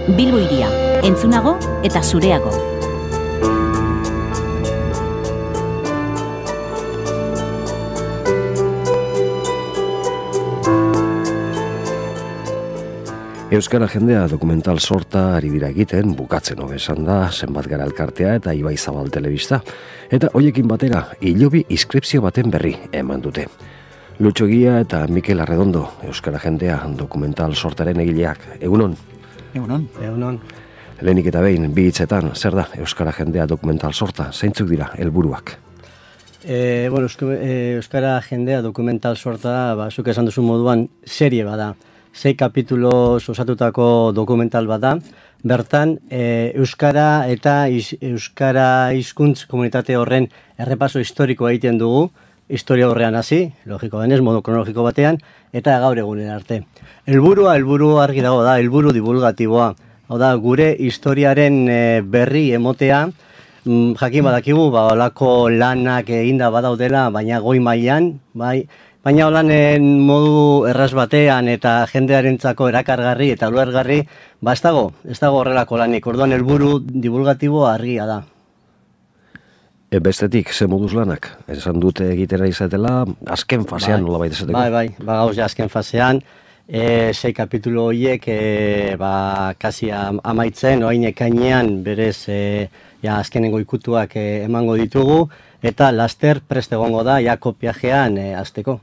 Bilbo hiria, entzunago eta zureago. Euskara jendea dokumental sorta ari dira egiten, bukatzen hobe esan da, zenbat gara elkartea eta Ibai Zabal telebista. Eta hoiekin batera, hilobi inskripzio baten berri eman dute. Lutxo Egia eta Mikel Arredondo, Euskara jendea dokumental sortaren egileak. Egunon? Egunon. Lehenik eta behin, bi hitzetan, zer da Euskara jendea dokumental sorta? Zeintzuk dira helburuak? Euskara jendea dokumental sorta, zuk esan duzu moduan, serie bada. 6 kapitulos osatutako dokumental bada. Bertan, Euskara eta Euskara hizkuntz komunitate horren errepaso historiko egiten dugu, historia horrean hasi, logiko denez, modu kronologiko batean, eta gaur egunen arte. Helburu argi dago da, helburu divulgatiboa. Hau da, gure historiaren berri emotea, jakin badakigu, olako lanak eginda badaudela, baina goi mailan, bai, baina holanen modu erraz batean eta jendearentzako erakargarri eta ulergarri, ez dago horrelako lanik. Orduan helburu divulgatiboa argia da. Bestetik, ze moduz lanak? Esan dute egitera izatela, azken fasean nola baita esateko? Bai, gauz azken fasean, 6 kapitulo horiek kasi amaitzen, oain ekainean berez azkenengo ikutuak emango ditugu, eta laster prest egongo da, kopiajean azteko.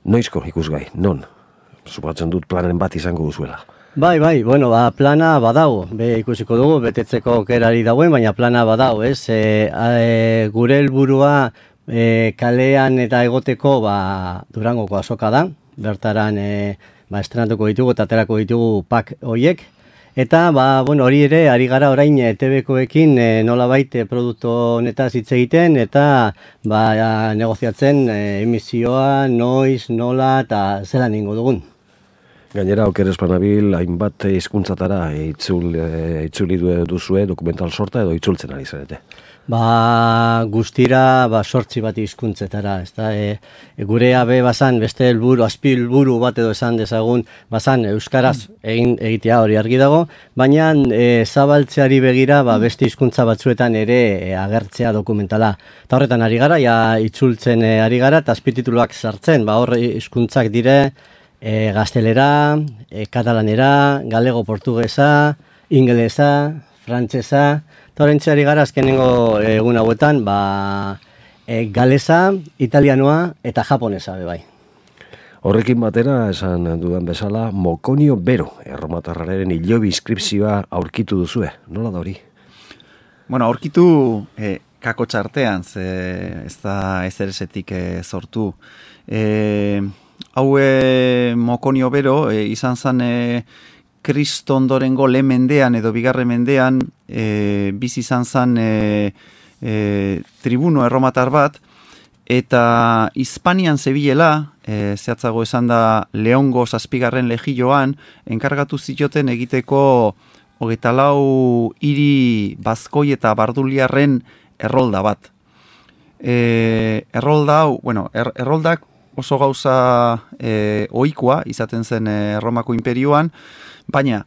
Noizko ikusgai, non? Supatzen dut planen bat izango duzuela. Bai, plana badago, ikusiko dugu, betetzeko aukerari dagoen, baina plana badago, ez? Gure helburua kalean eta egoteko Durangoko azoka da, bertaran estrenatuko ditugu eta aterako ditugu pak horiek, eta hori ere, ari gara orain TV-koekin nolabait produktu honetaz hitz egiten, eta negoziatzen emisioa, noiz, nola, eta zelan ingo dugun. Gainera, oker espanabil, hainbat hizkuntzatara itzuli duzue dokumental sorta edo itzultzen ari zarete? Guztira 8 bat hizkuntzetara, ezta? Gure abe bazan, beste helburu, azpi helburu bat edo esan dezagun, bazan euskaraz egitea hori argi dago, baina zabaltzeari begira beste hizkuntza batzuetan ere agertzea dokumentala. Eta horretan ari gara, itzultzen ari gara, eta azpitituluak sartzen, hor hizkuntzak dire, gaztelera, katalanera, galego portugesa, ingelesa, frantsesa, eta horrentzeari gara azkenengo egun hauetan, galesa, italianoa eta japonesa bai. Horrekin batera, esan dudan bezala, Mokonio Bero, erromatarraren hilobi inskripzioa aurkitu duzue. Nola da hori? Aurkitu kako txartean, ez da ezeresetik sortu. Hau Mokonio Bero izan zen Kristo ondorengo lehen mendean edo bigarren mendean bizi izan zen tribuno erromatar bat, eta Hispanian zebilela, zehatzago esan da Leongo 7. legioan, enkargatu zioten egiteko 24 hiri bazkoi eta barduliarren errolda bat. Errolda hau, erroldak oso gauza ohikoa izaten zen Erromako imperioan, baina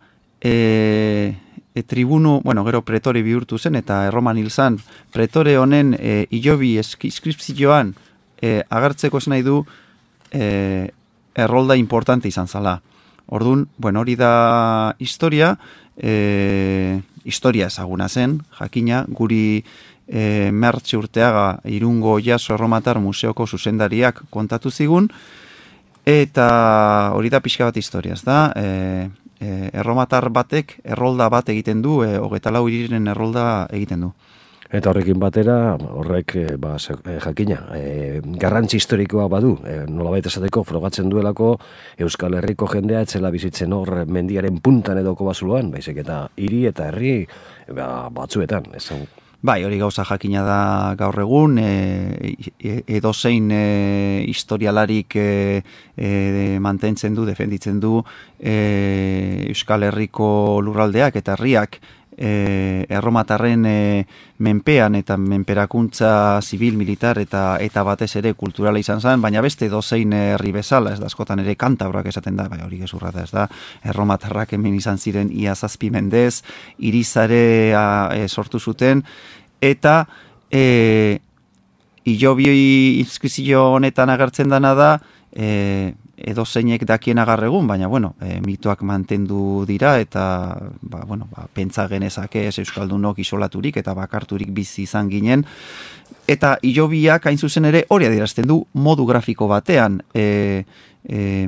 tribuno, gero pretore bihurtu zen eta Erroman hil zen, pretore honen hilobi inskripzioan agertzeko esan nahi du errolda importante izan zala. Orduan, hori da historia, historia ezaguna zen, jakina, guri Mertxe Urteaga Irungo Jaso Erromatar Museoko zuzendariak kontatu zigun, eta hori da pixka bat historia, ez da? Erromatar batek errolda bat egiten du, 24 hiriren errolda egiten du. Eta horrekin batera, horrek jakina, garrantzi historikoa badu, nolabait esateko frogatzen duelako Euskal Herriko jendea etzela bizitzen hor mendiaren puntan edoko bazuloan, baizik eta hiri eta herri batzuetan, esan. Bai, hori gauza jakina da gaur egun, edozein historialarik mantentzen du, defenditzen du Euskal Herriko lurraldeak eta herriak erromatarren menpean eta menperakuntza zibil, militar eta batez ere kulturala izan zen, baina beste dozein herri bezala, ez da askotan ere kantabroak esaten da, bai hori gezurra da, ez da, erromatarrak hemen izan ziren ia 7 mendez, irizarea sortu zuten, eta Hilobi inskripzio honetan agertzen dana da, edo zeinek dakien agarregun, baina, bueno, mitoak mantendu dira, eta, pentsa genezake ez euskaldunok isolaturik eta bakarturik bizi izan ginen, eta Hilobiak hain zuzen ere hori adierazten du modu grafiko batean,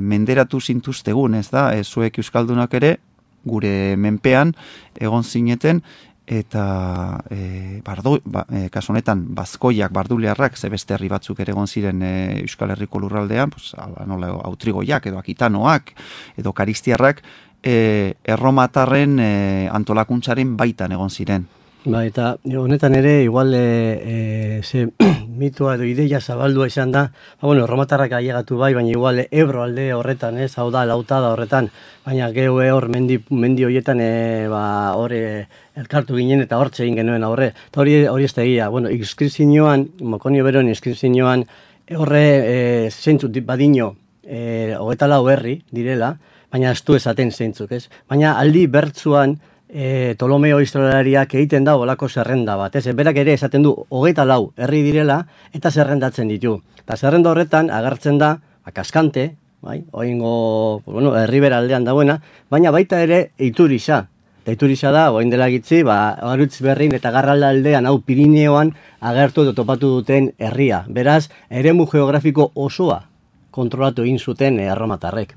menderatu zintuztegun, ez da, zuek euskaldunak ere, gure menpean, egon zineten, eta kasu honetan bazkoiak, barduliarrak, ze beste herri batzuk ere egon ziren Euskal Herriko lurraldean, nola autrigoiak edo akitanoak edo karistiarrak, erromatarren antolakuntzaren baitan egon ziren. Ba, eta honetan ere, igual, ze mitoa edo ideia zabaldua izan da, erromatarrak ailegatu bai, baina igual Ebro alde horretan, hau da, lautada horretan, baina gehu hor mendi horietan, elkartu ginen eta hortze egin genuen aurre. Eta hori ez da egia, inskripzioan, Mokonio beroen inskripzioan, horre zeintzut badino, 24 herri direla, baina ez du esaten zeintzuk, ez? Baina aldi bertzuan, Ptolomeo historialariak egiten da olako zerrenda bat, ez? Berak ere esaten du 24 herri direla eta zerrendatzen ditu. Eta zerrenda horretan agertzen da Kaskante, bai, oingo, herribera aldean dagoena, baina baita ere Iturixa. Eta Iturixa da, orain dela gitzi, Arutz Berrin eta Garralda aldean, hau Pirineoan agertu edo topatu duten herria. Beraz, eremu geografiko osoa kontrolatu egin zuten erromatarrek.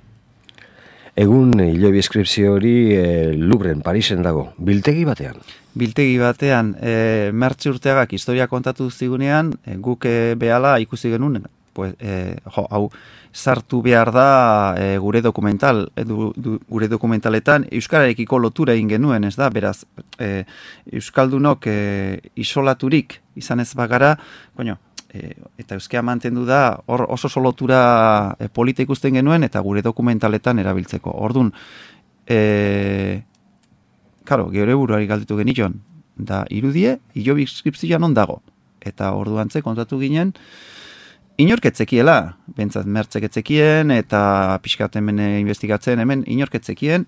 Egun Hilobi inskripzio hori Louvren, Parisen dago, biltegi batean. Biltegi batean, Mertxe Urteagak historia kontatu zigunean, guk behala ikusi genuen, hau sartu behar da gure dokumentaletan euskararekiko lotura egin genuen, ez da, beraz, euskaldunok isolaturik izan ez bagara, eta euskera mantendu da, hor oso lotura polita ikusten genuen, eta gure dokumentaletan erabiltzeko. Orduan, geure buruari galditu genion, da irudie, Hilobi inskripzioan non dago. Eta orduan kontatu ginen, inorketzekiela, bentsat mertzeketzekien, eta pixkat hemen investigatzen, hemen inorketzekien,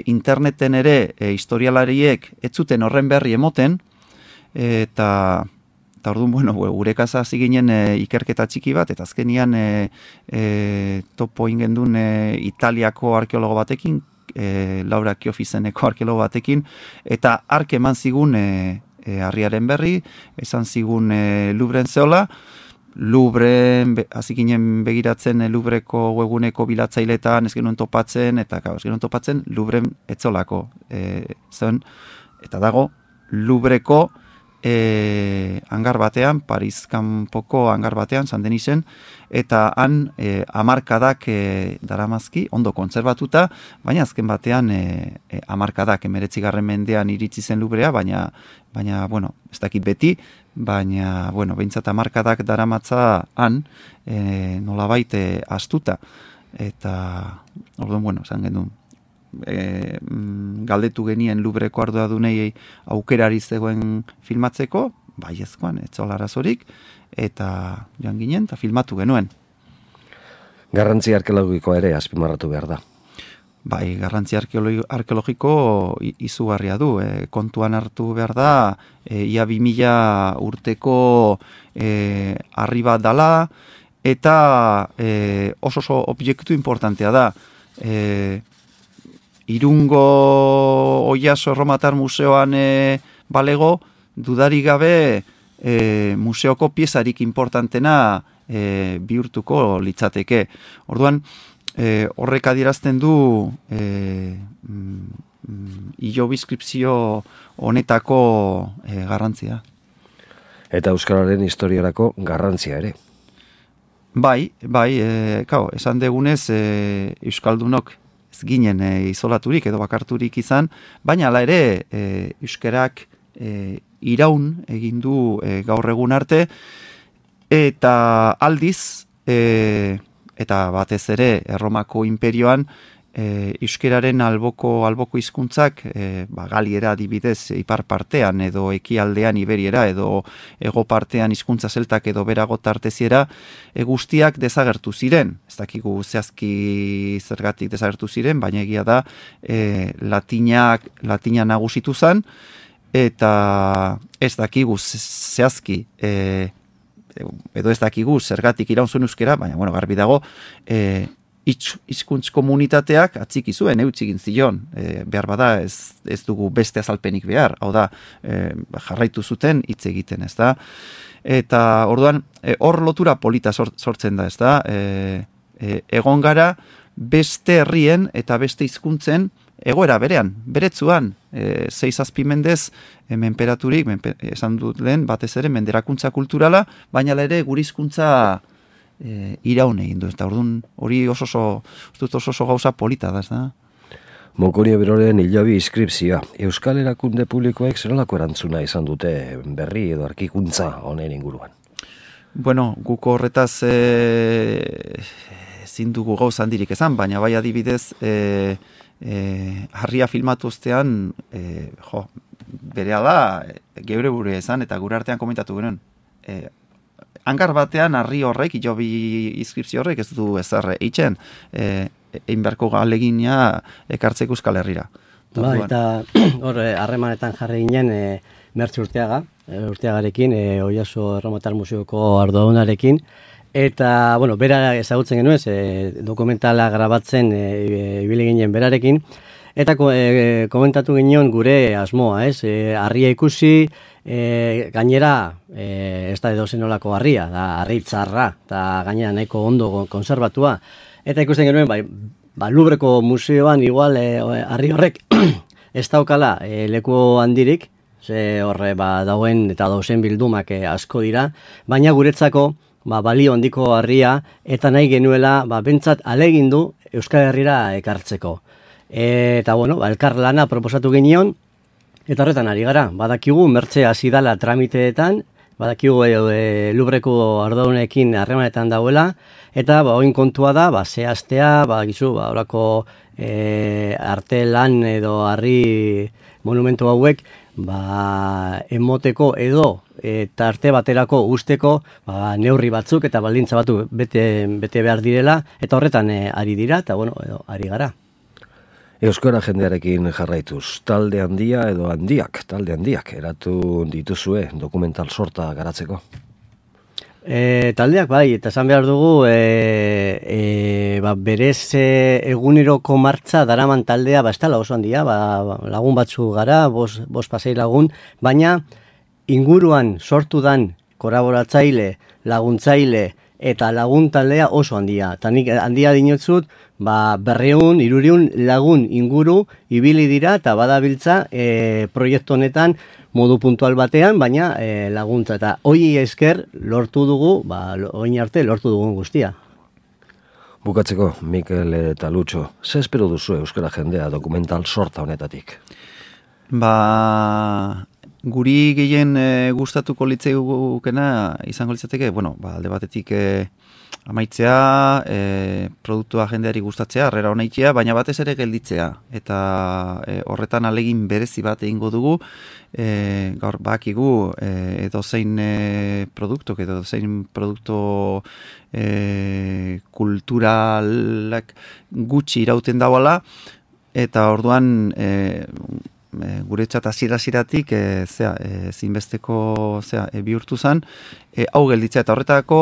interneten ere historialariek ez zuten horren berri emoten, eta orduan, gure kasa hasi ginen ikerketa txiki bat, eta azkenian topo ingendun Italiako arkeologo batekin, Laura Kiofizeneko arkeologo batekin, eta ark eman zigun harriaren berri, esan zigun Louvren zeola, Louvren, hasi ginen begiratzen Louvreko webguneko bilatzailetan, ez genuen topatzen, eta ez genuen topatzen Louvren etzolako zen, eta dago Louvreko hangar batean, Paris kanpoko hangar batean, San Denisen, eta han hamarkadak daramazki, ondo kontserbatuta, baina azken batean hamarkadak 19. mendean iritsi zen Louvrea, baina ez dakit beti, baina, behintzat hamarkadak daramatza han, nolabait astuta, eta, orduan, esan genuen, galdetu genien Louvreko arduradunei aukerari zegoen filmatzeko, baiezkoan, etzola arazorik, eta joan ginen, eta filmatu genuen. Garrantzi arkeologikoa ere azpimarratu behar da. Bai, garrantzi arkeologiko izugarria du. Kontuan hartu behar da, ia 2000 urteko harri bat dala, eta oso objektu importantea da. Irungo Oiaso Erromatar Museoan balego, dudarik gabe museoko piezarik importantena bihurtuko litzateke. Orduan, horrek adierazten du Hilobi inskripzio honetako garrantzia. Eta euskararen historiarako garrantzia ere. Bai, esan degunez euskaldunok ez ginen isolaturik edo bakarturik izan, baina hala ere euskarak iraun egin du gaur egun arte, eta aldiz, eta batez ere Erromako imperioan euskeraren alboko hizkuntzak galiera adibidez ipar partean edo ekialdean iberiera edo ego partean hizkuntza zeltak edo berago tarteziera guztiak desagertu ziren. Ez dakigu zehazki zergatik desagertu ziren, baina egia da latina nagusitu zen eta ez dakigu zehazki edo ez dakigu zergatik iraun zuen euskera, baina garbi dago hizkuntz komunitateak atziki zuen, eutxik zion, behar bada ez dugu beste azalpenik behar, hau da, jarraitu zuten hitz egiten, ez da? Eta orduan, hor lotura polita sortzen da, ez da? Egon gara beste herrien eta beste hizkuntzen egoera berean, beretzuan, 6-7 mendez menperaturik, esan dut lehen, batez ere menderakuntza kulturala, baina ere gure hizkuntza iraun egin du, eta orduan hori oso gauza polita da, ez da? Mokonio Beroren hilabi inskripzioa. Euskal Erakunde Publikoek zerolako erantzuna izan dute berri edo arkikuntza honen inguruan? Bueno, guk horretaz ezin dugu gauza handirik esan, baina bai adibidez harria filmatu ostean berehala geure buru esan eta gure artean komentatu genuen. Hangar batean harri horrek, hilabi inskripzio horrek ez du ezer eitzen, egin beharko ahalegina ekartzeko Euskal Herrira. Eta hor harremanetan jarri ginen Mertxe Urteagarekin, Oiaso Erromatar Museoko arduradunarekin, eta, bera ezagutzen genuen, dokumentala grabatzen ibili ginen berarekin, eta komentatu ginen gure asmoa, harria ikusi, gainera ez da edozen olako harria, da harri txarra, eta gainera nahiko ondo konservatua. Eta ikusten genuen, Lubreko museoan igual harri horrek ez daukala leku handirik, ze horre dauen eta dauzen bildumak asko dira, baina guretzako balio handiko harria eta nahi genuela bentsat alegindu Euskal Herrira ekartzeko. Eta elkar lana proposatu genion, eta horretan ari gara, badakigu Mertxe hasi dala tramiteetan, badakigu Lubreko arduradunekin harremanetan dauela, eta oin kontua da, zehaztea, horako arte lan edo harri monumentu hauek, emoteko edo eta arte baterako usteko neurri batzuk eta baldintza batzuk bete behar direla, eta horretan ari dira, eta ari gara. Euskara jendearekin jarraituz, talde handiak eratu dituzue dokumental sorta garatzeko? Taldeak eta esan behar dugu berez eguneroko martza daraman taldea ez dela oso handia, lagun batzu gara, 5-6 lagun, baina inguruan sortu dan kolaboratzaile, laguntzaile eta lagun taldea oso handia. Eta nik handia dinotzut, 200-300 lagun inguru ibili dira eta badabiltza proiektu honetan modu puntual batean, baina laguntza. Eta hoi esker lortu dugu, oin arte lortu dugun guztia. Bukatzeko, Mikel eta Lutxo, ze espero duzu euskara jendea dokumental sorta honetatik? Guri gehien gustatuko litzaigukena izango litzateke, alde batetik amaitzea, produktua jendeari gustatzea, harrera honaitzea, baina batez ere gelditzea. Eta horretan alegin berezi bat egingo dugu, gaur bakigu edozein produktok, edozein produktu kulturalak gutxi irauten dauala, eta orduan guretzat hasiera-hasieratik zinbesteko bihurtu zen, hau gelditzea eta horretako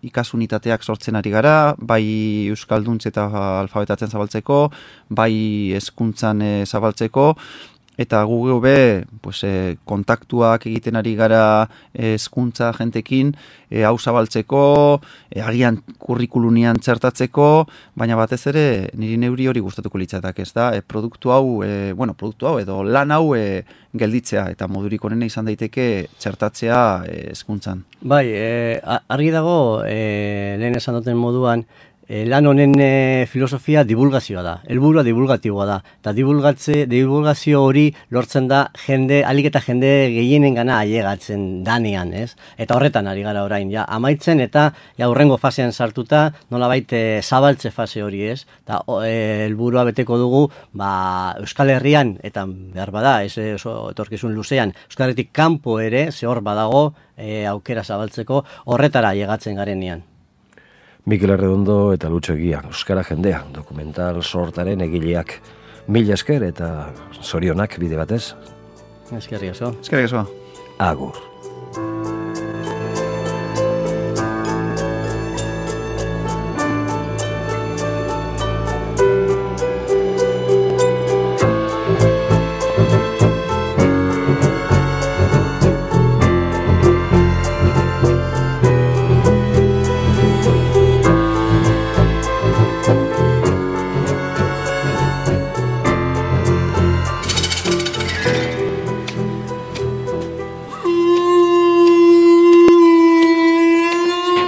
ikasunitateak sortzen ari gara, bai euskalduntz eta alfabetatzen zabaltzeko, bai hezkuntzan zabaltzeko, eta gu kontaktuak egiten ari gara hezkuntza jentekin, hau zabaltzeko, agian kurrikulunian txertatzeko, baina batez ere niri neuri hori gustatuko litzatak, ez da, produktu hau edo lan hau gelditzea, eta modurik onena izan daiteke txertatzea hezkuntzan. Bai, argi dago, lehen esan duten moduan, lan honen filosofia divulgazioa da, helburua divulgatiboa da, eta divulgazio hori lortzen da alik eta jende gehienengana ailegatzen danean, ez? Eta horretan ari gara orain, ja, amaitzen eta hurrengo fasean sartuta, nolabait zabaltze fase hori, ez? Eta helburua beteko dugu, Euskal Herrian, eta behar bada, ez oso etorkizun luzean, Euskal Herritik kanpo ere, hor badago, aukera zabaltzeko, horretara ailegatzen garenean. Mikel Arredondo eta Lutxo Egia, Euskara Jendea, dokumental sortaren egileak. Mila esker eta zorionak bide batez. Eskerrik asko. Eskerrik asko. Agur.